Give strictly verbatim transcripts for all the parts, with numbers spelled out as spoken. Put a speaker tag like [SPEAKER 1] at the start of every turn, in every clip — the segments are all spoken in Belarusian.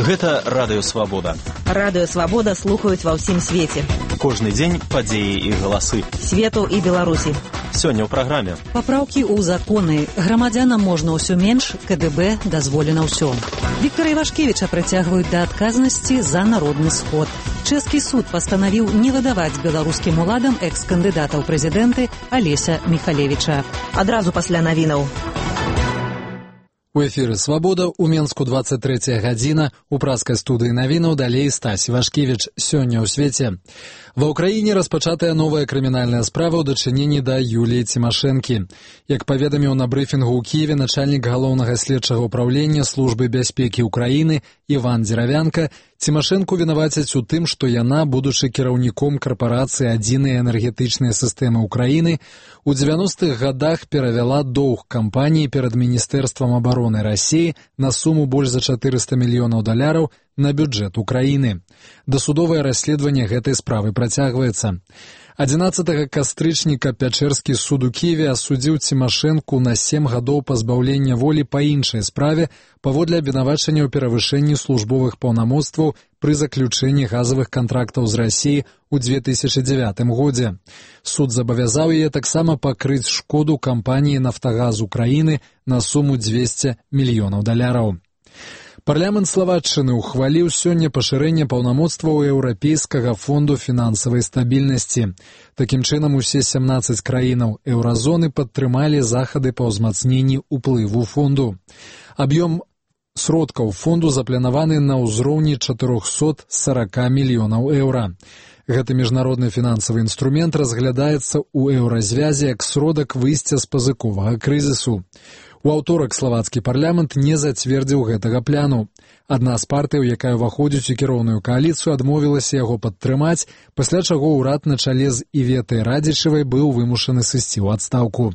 [SPEAKER 1] Гэта Радыё Свабода.
[SPEAKER 2] Радыё Свабода слухаюць ва ўсім свеце.
[SPEAKER 1] Кожны дзень падзеі і галасы.
[SPEAKER 2] Свету і Беларусі.
[SPEAKER 1] Сёння ў праграме.
[SPEAKER 3] Папраўкі ў законы. Грамадзянам можна ўсё менш, КДБ дазволена ўсё. Віктара Івашкевіча прыцягваюць да адказнасці за народны сход. Чэшскі суд пастанавіў не выдаваць беларускім уладам экс-кандыдата ў прэзідэнты Алеся Міхалевіча.
[SPEAKER 2] Адразу пасля навінаў.
[SPEAKER 4] У эфіры «Свабода», у Менску двадцать третья гадзіна, у праскай студыі навінаў далей Стась Івашкевіч. Сёння ў свеце. Ва ўкраіне распачатая новая крымінальная справа ў дачыненні да Юліі Цімашэнкі. Як паведаміў на брыфінгу ў Кіеве начальнік галоўнага следчага ўправлення Службы бяспекі Ўкраіны Іван Дзеравянка, Цімашэнку вінавацяць у тым, што яна, будучы кіраўніком карпорацыі адзінай энергетычнай сістэмы Ўкраіны, у дзевяностых гадах перавяла доўг кампаніі перад Міністэрствам абароны Расіі на суму больш за чатырыста мільёнаў даляраў на бюджэт Украіны. Дасудовае расследаванне гэтай справы працягваецца. адзінаццатага кастрычніка Пячэрскі суд у Кіеве асудзіў Цімашэнку на сем гадоў пазбаўлення волі па іншай справе паводле абвінавачання ў перавышэнні службовых паўнамоцтваў пры заключэнні газавых кантрактаў з Расіі ў две тысячы дзевятым годзе. Суд забавязаў яе таксама пакрыць шкоду кампаніі «Нафтагаз Украіны» на суму дзвесце мільёнаў даляраў. Парламент Славаччыны ухваліў сёння пашырэнне паўнамоцтваў Еўрапейскага фонду фінансавай стабільнасці. Такім чынам, усе сямнаццаць краінаў еўразоны падтрымалі захады па ўзмацненні ўплыву фонду. Аб'ём сродкаў фонду запланаваны на ўзроўні чатырохсот сорока мільёнаў еўра. Гэты міжнародны фінансавы інструмент разглядаецца ў еўразвязе як сродак выйсця з пазыковага крызісу. У аўторак славацкі парламент не зацвердзіў гэтага пляну. Адна з партыяў, якая ўваходзіць у кіроўную кааліцыю, адмовілася яго падтрымаць, пасля чаго ўрад на чале з Іветай Радзічавай быў вымушаны сысці ў адстаўку.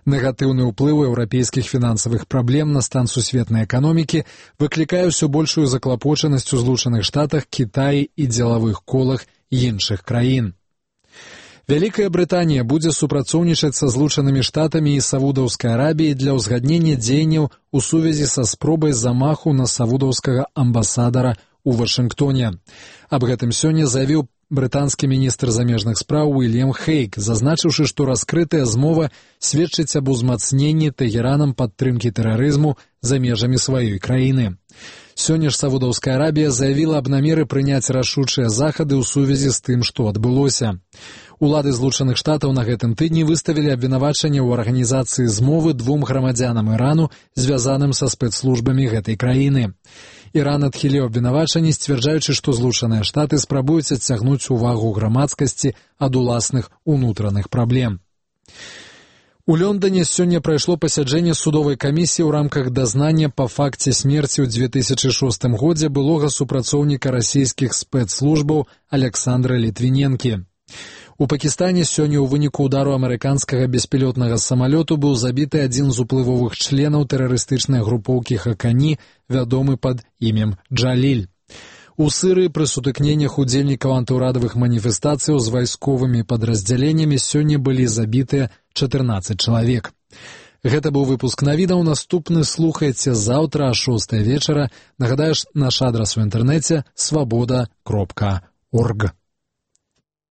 [SPEAKER 4] Негатыўны ўплыў еўрапейскіх фінансавых праблем на стан сусветнай эканомікі выклікае ўсё большую заклапочанасць у Злучаных Штатах, Кітаі і дзелавых колах іншых краін. Вялікая Брытанія будзе супрацоўнічаць са Злучанымі Штатамі і Саудаўскай Арабіяй для ўзгаднення дзеянняў у сувязі са спробай замаху на саудаўскага амбасадара ў Вашынгтоне. Аб гэтым сёння заявіў брытанскі міністр замежных спраў Уільям Хейк, зазначыўшы, што раскрытая змова сведчыць аб узмацненні Тэгеранам падтрымкі тэрарызму за межамі сваёй краіны. Сёння ж Саудаўская Арабія заявіла аб намеры прыняць рашучыя захады ў сувязі з тым, што адбылося. Улады Злучаных Штатаў на гэтым тыдні выставілі абвінавачанне ў арганізацыі змовы двум грамадзянам Ірану, звязаным са спецслужбамі гэтай краіны. Іран адхіліў абвінавачанні, сцвярджаючы, што Злучаныя Штаты спрабуюць адцягнуць увагу грамадскасці ад уласных унутраных праблем. У Лондоне сёння прайшло пасяджэнне судовай камісіі ў рамках дазнання па факце смерці ў две тысячы шостым годзе былога супрацоўніка расійскіх спецслужбаў Александра Літвіненкі. У Пакістане сёння ў выніку ўдару амерыканскага беспілотнага самалёту быў забіты адзін з уплывовых членаў тэрарыстычнай групоўкі Хакані, вядомы пад імем Джаліль. У Сырыі пры сутыкненнях удзельнікаў антыўрадавых маніфестацыяў з вайсковымі падраздзяленнямі сёння былі забітыя чатырнаццаць чалавек. Гэта быў выпуск навінаў. Наступны слухайце заўтра а шостай вечара. Нагадаеш, наш адрас у інтэрнэце свабода кропка орг.